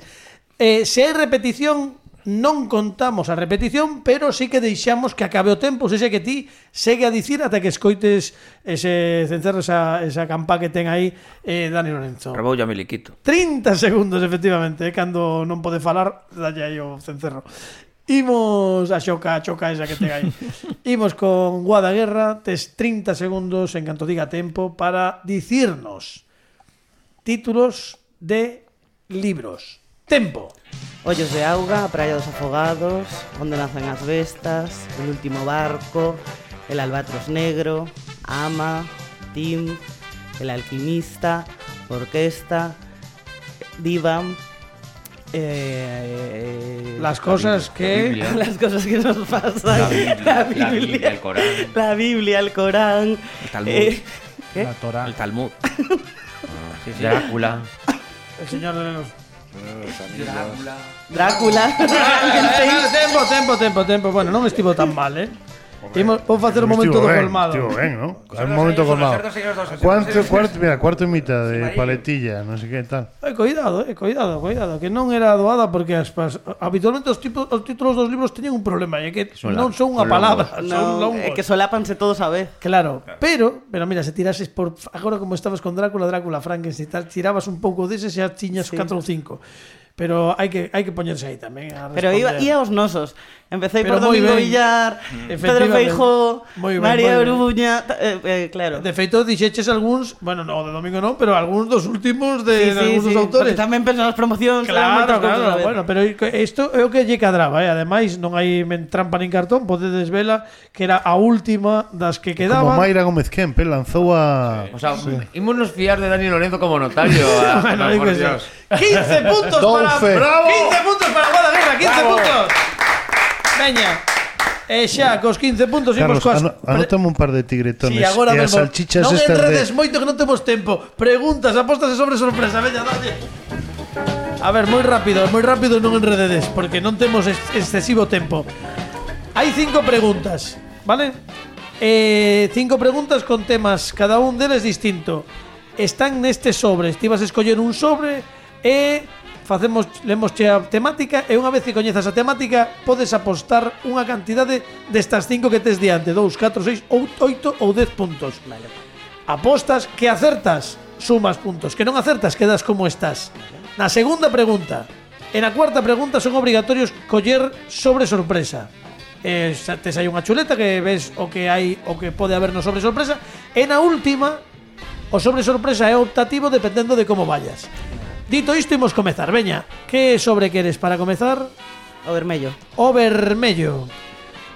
Se hai repetición, non contamos a repetición, pero sí que deixamos que acabe o tempo, se que ti segue a dicir ata que escoites ese cencerro, esa campa que ten aí Dani Lorenzo. Reboulla miliquito. 30 segundos, efectivamente, cando non pode falar, dalle aí o cencerro. Imos a choca esa que ten aí. Imos con Guadaguerra. Tes 30 segundos en canto diga tempo para dicirnos títulos de libros. Tempo. Ollos de auga, a praia dos afogados, onde nacen as bestas, El último barco, El albatros negro, Ama, Tim, El alquimista, Orquesta, Divan, las cosas que nos pasan, la Biblia, el Corán, el Talmud, ¿qué? El Talmud, Drácula, el Señor de los Drácula. Tempo. Bueno, non estivo tan mal, Vou facer un momento do colmado. Estivo ben, ¿no? Un momento colmado. Cuarto e mitad de paletilla, non sei que tal. Cuidado, que non era doada porque habitualmente os títulos dos libros teñen un problema, é que non son unha palabra, son longos. É que solápanse todos a vez. Claro, pero mira, se tirases por agora como estabas con Drácula, Frankenstein, tirabas un pouco deses e xa tiñas 4 ou 5. pero hai que poñerse aí tamén a Pero responder. ia aos nosos. Empecé Pero por moi Domingo ben. Villar, Pedro Feijó, María Oruña, claro. De feito, dixeches algúns, bueno, no, de domingo non, pero algúns dos últimos de algúns dos autores. Porque tamén pensan nas promocións, Claro, bueno, pero isto é o que lle cadraba, ademais non hai trampa nin cartón, podedes vela que era a última das que quedaban. Como Mayra Gómez Kempe lanzou a... O sea, ímonos fiar de Dani Lorenzo como notario. Bueno, por Dios. 15 puntos para... ¡Bravo! 15 puntos para Guadaguerra, 15 puntos. Veña. Xa, cos 15 puntos Carlos, imos coas... anótame un par de tigretones. Sí, agora e as mesmo. salchichas Non estas enredes moito que non temos tempo. Preguntas, apostas e sobre sorpresa. Veña, dalle. A ver, moi rápido non enrededes, porque non temos excesivo tempo. Hai 5 preguntas, vale? 5 preguntas con temas, cada un deles distinto. Están neste sobre. Ti vas a escoller un sobre e lemosche a temática, e unha vez que coñezas a temática podes apostar unha cantidade destas 5 que tes diante, 2, 4, 6, 8 ou 10 puntos. Vale. Apostas, que acertas, sumas puntos, que non acertas, quedas como estás. Na segunda pregunta e na cuarta pregunta son obrigatorios coller sobre sorpresa. Tes aí unha chuleta que ves o que hai, o que pode haber no sobre sorpresa, e na última o sobre sorpresa é optativo dependendo de como vayas. Dito isto, imos comezar. Veña, que sobre queres para comezar? O vermello. O vermello.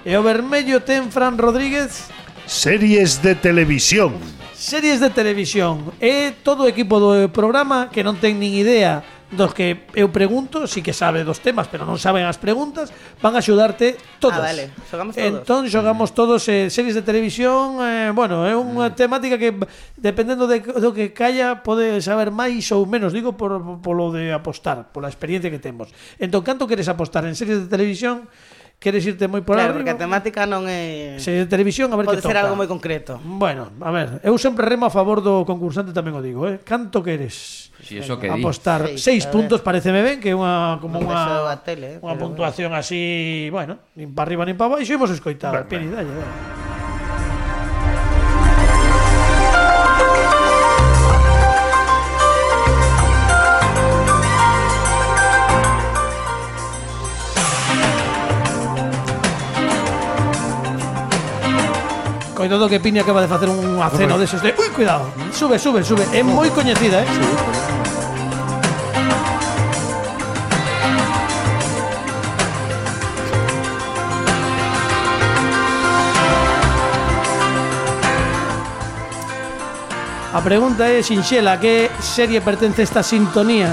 E o vermello ten Fran Rodríguez. Series de televisión. Series de televisión. E todo o equipo do programa que non ten nin idea dos que eu pregunto, sí que sabe dos temas, pero non saben as preguntas, van a axudarte todos. Vale, xogamos todos. Entón xogamos todos series de televisión, bueno, é unha temática que dependendo do que calla pode saber máis ou menos, digo polo de apostar, pola experiencia que temos. Entón, canto queres apostar en series de televisión? Queres irte moi por claro, arriba? porque a temática non é... Series de televisión, a ver que pode ser toca. algo moi concreto. Bueno, a ver, eu sempre remo a favor do concursante, tamén o digo, Canto queres? Si eso que apostar 6 puntos, pareceme ben, que é unha como unha tele, unha puntuación así, bueno, nin para arriba nin para baixo, imos escoitar. Pini, dalle. Coidado que Pini acaba de facer un aceno deses de... Ui, cuidado, sube. É moi coñecida, A pregunta é sinxela, que serie pertence a esta sintonía?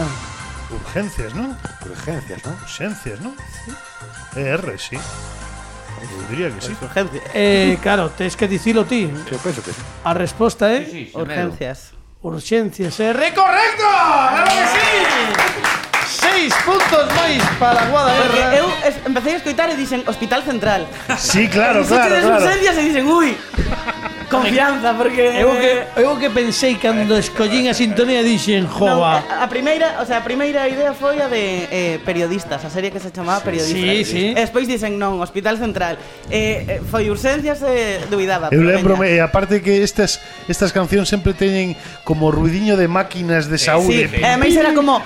Urgencias, ¿no? Urgencias, ¿no? Urgencias, ¿no? Sí. R, sí. Eu diría que sí. Claro, tes que dicilo ti. Eu penso que sí. A resposta é Urgencias. Urgencias. ¡Correcto! ¡Claro que sí! 6 puntos máis para Guadaguerra. Porque eu empecé a escoitar e dicen Hospital Central. Sí, claro. Urgencias e dicen, ui, confianza, porque... Eu que pensei cando escollín a sintonía dixen, jova. A primeira idea foi a de periodistas, a serie que se chamaba Periodistas. Sí. E despois dicen, non, Hospital Central. Foi Urgencias e duvidaba. Eu lembro-me, e aparte que estas cancións sempre teñen como ruidiño de máquinas de saúde. Sí, a máis era como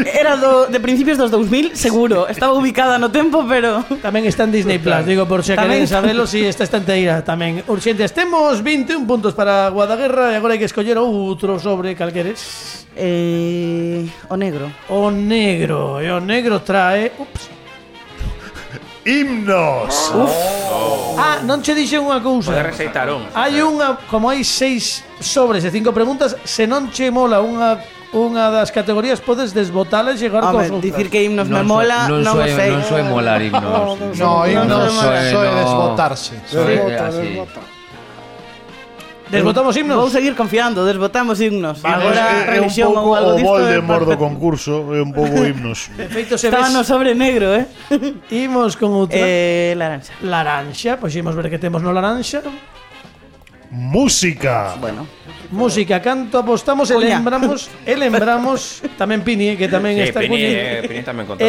era de principios dos 2000, seguro. Estaba ubicada no tempo, pero tamén está en Disney Plus, digo, por se queren sabelo, si esta enteira tamén. Urgentes, temos 21 puntos para Guadaguerra e agora hai que escoller outro sobre calqueres. O negro. O negro trae... Himnos. Non che dixen unha cousa. Pode receitar un. Hai unha, como hai 6 sobres e 5 preguntas, se non che mola unha das categorías podes desbotala e chegar cos outras. Dicir que himnos me mola, non o sei. Non soe molar himnos. No, himnos soe desbotarse. Desbotamos himnos? Vou seguir confiando, desbotamos himnos. Agora é un pouco o Voldemort do concurso, é un pouco himnos. De feito se estaba no sobre negro, Imos con outra. Laranxa. Laranxa, pois imos ver que temos no laranxa. Música. Bueno. Música, canto apostamos e lembramos tamén Pini, que tamén está Pini tamén controla.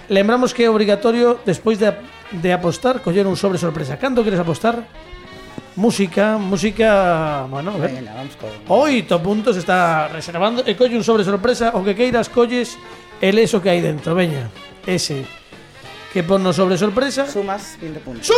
Lembramos que é obrigatorio despois de apostar coller un sobre sorpresa. Canto queres apostar? Música, bueno, a ver. 8 puntos está reservando e colle un sobre sorpresa, o que queiras colles el eso que hai dentro, veña. Ese que ponnos sobre sorpresa. Sumas 20 puntos.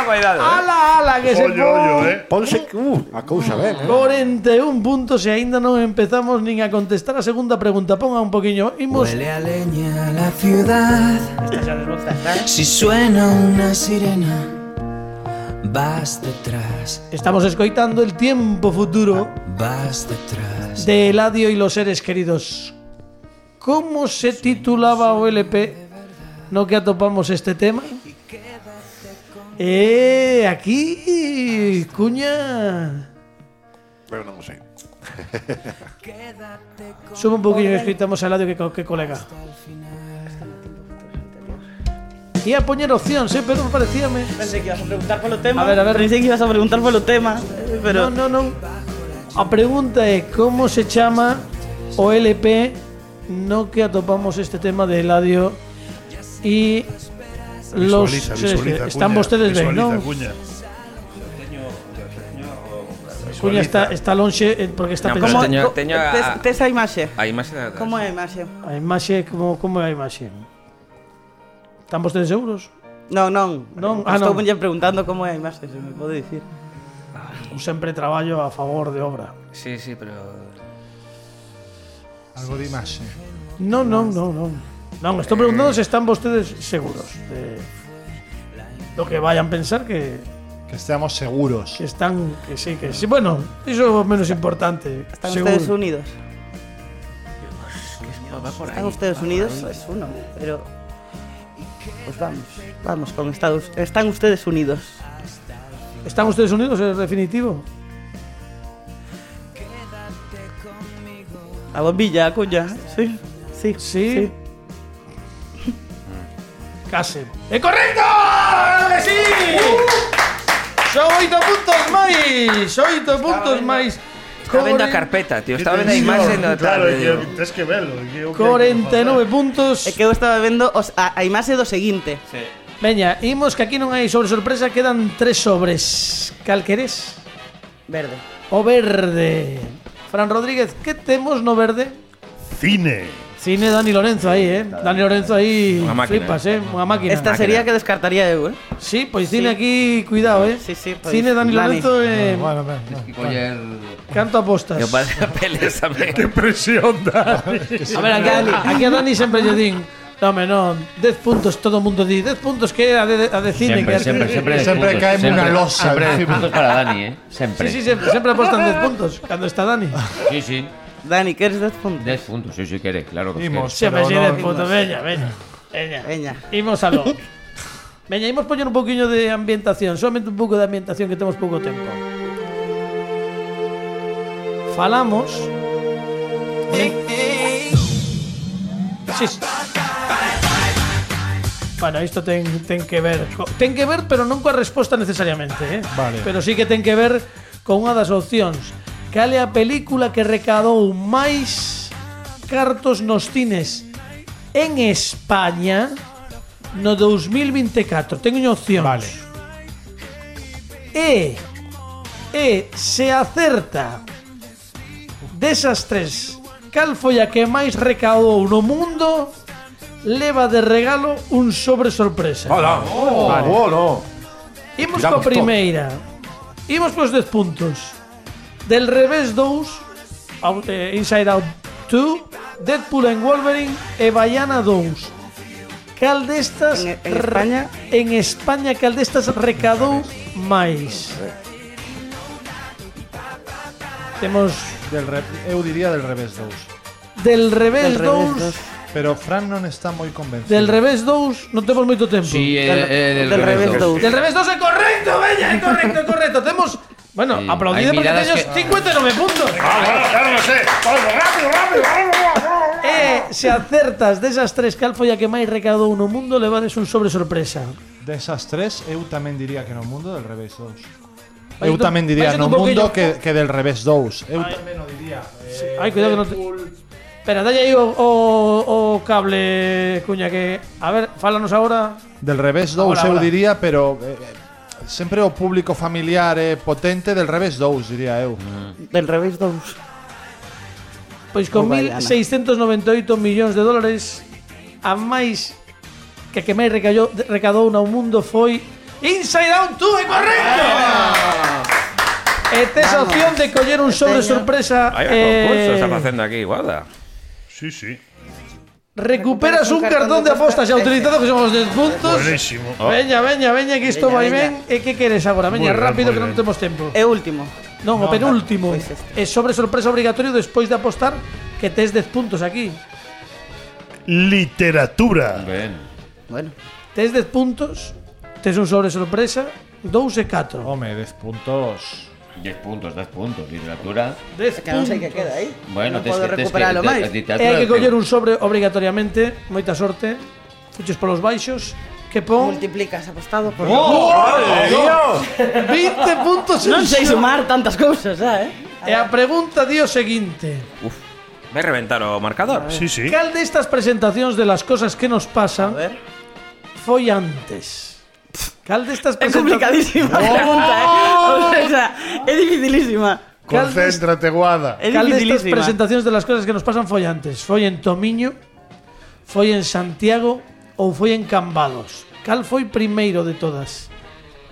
Cuidado. Ala, que se pon. Ponse a cousa ben. 41 puntos e aínda non empezamos nin a contestar a segunda pregunta. Ponga un poquinho. Imos. Huele a leña la ciudad. Si suena una sirena, vas detrás. Estamos escoitando el tiempo futuro. Vas detrás. De Eladio y los seres queridos. ¿Cómo se titulaba o LP no que atopamos este tema? Aquí, cuña. Pero non o sei. Sube un poquinho que escoitamos a Eladio que colega. Ia poñer opcións, pero parecíame. Pensei que ibas a preguntar polo tema. A ver. Pensei que ibas a preguntar polo tema, pero No. A pregunta é como se chama o LP no que atopamos este tema de Eladio y los Visualiza, están Cuña, vostedes ben, non? Cuña está lonxe porque está No, pensando. tes a imaxe. A imaxe da... Como é a imaxe? A imaxe como é a imaxe? Están vostedes seguros? Non. Estou non. preguntando como é a imaxe, se me pode dicir. Eu sempre traballo a favor de obra. Sí, pero... Algo de imaxe. Non, estou preguntando se están vostedes seguros de lo que vayan pensar que estemos seguros. Que sí. Bueno, eso es menos importante. ¿Están seguro. ustedes unidos? ¿Están ustedes unidos? Es uno, pero... Pues vamos con Estados... ¿Están ustedes unidos? ¿Están ustedes unidos? ¿Es definitivo? A bombilla, cuña. Sí. Case. ¡Es correcto! ¡Claro que sí! Son 8 puntos máis. Estaba vendo a carpeta, tío. Estaba vendo a imaxe no Claro, tens que velo. 49 puntos. É que eu estaba vendo a imaxe do seguinte. Sí. Veña, imos que aquí non hai sobre sorpresa. Quedan 3 sobres. Cal queres? Verde. O verde. Fran Rodríguez, que temos no verde? Cine, Dani Lorenzo aí, Dani Lorenzo aí. Unha máquina. Flipas, unha máquina. Esta sería que descartaría eu, Sí, pois cine aquí, cuidado, Sí, pues, Cine Dani Lorenzo Bueno, canto apostas. Que pasa peles tamén. que presión, Dani. A ver, aquí a Dani sempre lle din. Non, 10 puntos, todo o mundo di 10 puntos que a de cine. Sempre cae unha losa. Sempre 10 puntos para Dani, Sempre. Sí, sempre apostan 10 puntos cando está Dani. Sí. Dani, queres 10 puntos? 10 puntos, sí, quere, claro que Imos, sempre pero 10 puntos, veña. Imos aló. Veña, imos poñer un poquinho de ambientación, solamente un pouco de ambientación que temos pouco tempo. Falamos. Sí. Bueno, isto ten que ver, pero non coa resposta necesariamente, Vale. Pero sí que ten que ver con unha das opcións. Cal é a película que recadou máis cartos nos cines en España no 2024? Teño opcións. Vale. E se acerta desas 3, cal foi a que máis recaudou no mundo, leva de regalo un sobre sorpresa. Hola. Imos coa primeira. Imos cos 10 puntos. Del revés 2, Inside Out 2, Deadpool and Wolverine e Baiana 2. Cal destas en España cal destas recadou máis? Temos eu diría del revés 2. Del revés 2. Pero Fran non está moi convencido. Del revés 2 non temos moito tempo. Sí, del revés 2. Del revés 2 é correcto, veña, é correcto. Temos, bueno, Sí, aplaudide hai porque miradas teños 59 puntos. Claro, no sé. E se acertas desas 3, cal foi a que máis recaudou no mundo, levades un sobre sorpresa. Desas 3, eu tamén diría que no mundo del revés 2. Vais Eu tamén diría un no poquillo- mundo que del revés 2. Eu tamén o diría. Ai, cuidado que non te... Espera, dalle aí o cable, cuña, que... A ver, fálanos agora. Del revés 2 eu diría, pero sempre o público familiar é potente del revés 2, diría eu. Del revés 2. Pois con 1.698 millóns de dólares, a máis que máis recaudou no mundo foi Inside Out 2, é correcto! E tes a opción de coller un sobre sorpresa. Hai concurso, está facendo aquí, guarda. Sí, sí. Recuperas un cartón de apostas ya utilizado, que son os 10 puntos. Buenísimo. Veña, que isto vai ben. E que queres agora? Veña, rápido, que non temos tempo. É último. Non, o penúltimo. É sobre sorpresa obrigatorio despois de apostar, que tes 10 puntos aquí. Literatura. Ben. Bueno. Tes 10 puntos, tes un sobre sorpresa, 2 e 4. Home, 10 puntos. 10 puntos, literatura. 10 que non sei que queda aí. Bueno, non podo recuperalo máis. E hai que coller un sobre obrigatoriamente. Moita sorte. Fuches polos baixos. Que pon? Multiplicas apostado por... Dios! 20 puntos. Non sei sumar tantas cousas, E a pregunta di o seguinte. Uf, vai reventar o marcador. Sí, sí. Cal destas presentacións de las cosas que nos pasan foi antes? Cal destas presentacións... É complicadísima a pregunta, O sea, é dificilísima. Concéntrate, Guada. Cal destas presentacións de las cosas que nos pasan foi antes? Foi en Tomiño? Foi en Santiago? Ou foi en Cambados? Cal foi primeiro de todas?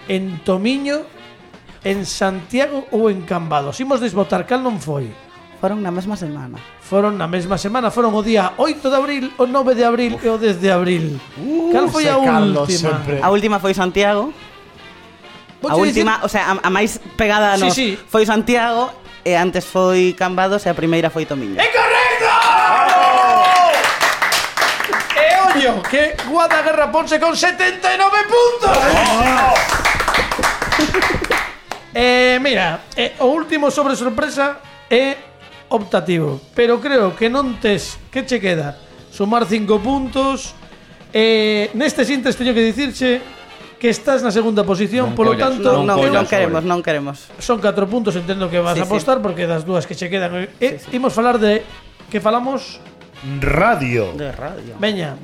En Tomiño, en Santiago ou en Cambados? Imos desbotar, cal non foi? Foron na mesma semana. Foron na mesma semana, foron o día 8 de abril, o 9 de abril e o 10 de abril. Cal foi a última? A última foi Santiago. A última, o sea, a máis pegada nos foi Santiago e antes foi Cambados e a primeira foi Tomiño. ¡É correcto! Ollo, que Guada Guerra Ponce con 79 puntos. Mira, o último sobre sorpresa é optativo, pero creo que non tes, que che queda? Sumar 5 puntos. Neste sintes teño que dicirche que estás na segunda posición, polo tanto non queremos. Son 4 puntos, entendo que vas a apostar porque das dúas que che quedan. Imos falar de que falamos radio. De radio. Veña.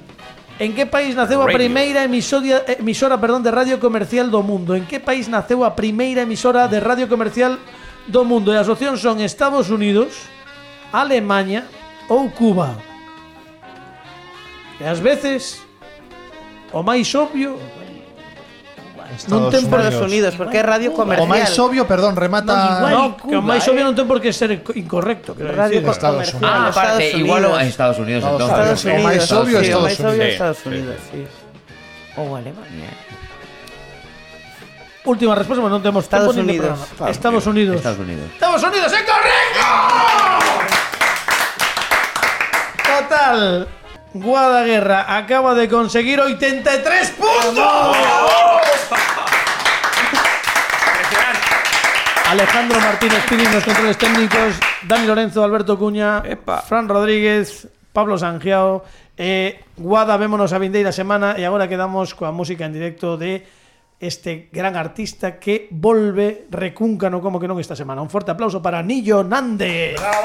En que país naceu a primeira emisora de radio comercial do mundo? En que país naceu a primeira emisora de radio comercial do mundo? E as opcións son Estados Unidos, Alemania ou Cuba. E ás veces o máis obvio Estados Unidos, porque é radio comercial. O máis obvio, perdón, remata. Que o máis obvio non ten por que ser incorrecto. Radio Estados Unidos. Aparte, igual a Estados Unidos entonces. O máis obvio Estados Unidos, sí. Ou Alemania. Última resposta, non temos tempo nin de programa. Estados Unidos. Estados Unidos, é correcto. Total. Guada Guerra acaba de conseguir 83 puntos. Alejandro Martínez Pini nos controles técnicos, Dani Lorenzo, Alberto Cuña, Fran Rodríguez, Pablo Sangiao. Guada, vémonos a vindeira semana e agora quedamos coa música en directo de este gran artista que volve recúncano como que non esta semana. Un forte aplauso para Nillo Nández. ¡Bravo!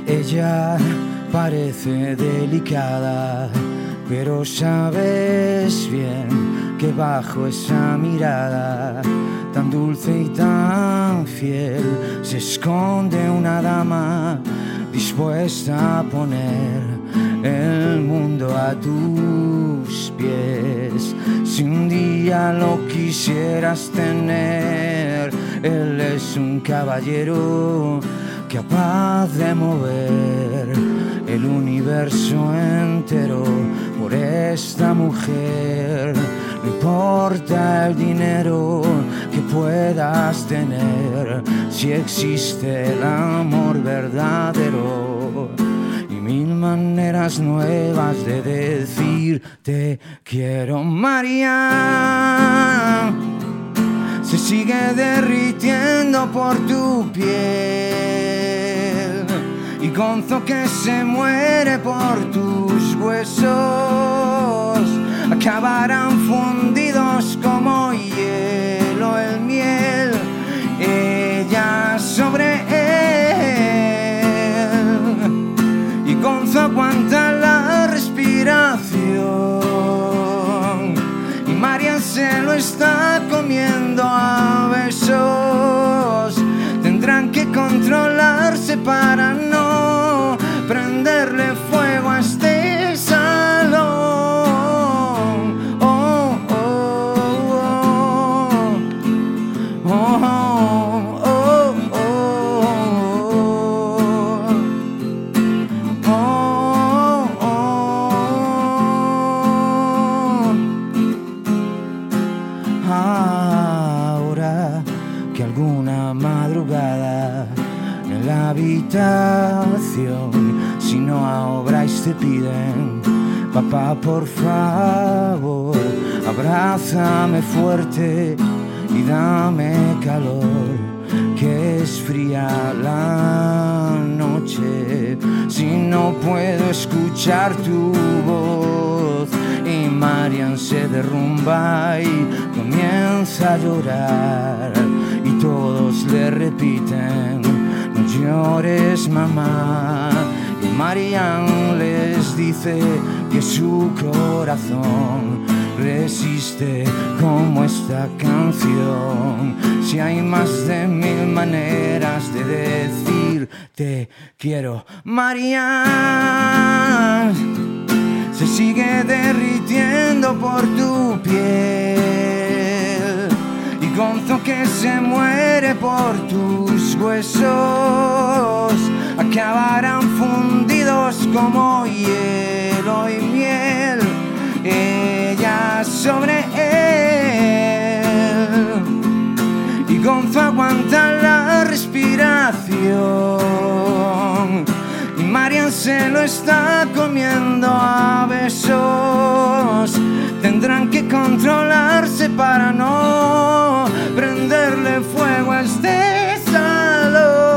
Ella parece delicada, pero sabes bien que bajo esa mirada tan dulce y tan fiel se esconde una dama dispuesta a poner el mundo a tus pies. Si un día lo quisieras tener, él es un caballero capaz de mover el universo entero por esta mujer. No importa el dinero que puedas tener, si existe el amor verdadero y mil maneras nuevas de decir te quiero. María se sigue derritiendo por tu piel y Gonzo que se muere por tus huesos acabarán fundidos como hielo el miel. Ella sobre él y Gonzo aguanta la respiración y Marian se lo está comiendo a besos. Tendrán que controlarse para no prenderle fuego a este salón. Si no obráis te piden, papá, por favor, abrázame fuerte y dame calor, que es fría la noche. Si no puedo escuchar tu voz. Y Marian se derrumba y comienza a llorar y todos le repiten: no llores, mamá. Y Marian les dice que su corazón resiste como esta canción. Si hay más de 1000 maneras de decir te quiero, Marian se sigue derritiendo por tu piel y Gonzo que se muere por tus huesos acabarán fundidos como hielo y miel, ella sobre él y Gonzo aguanta la respiración y Marian se lo está comiendo a besos. Tendrán que controlarse para no prenderle fuego a este salón.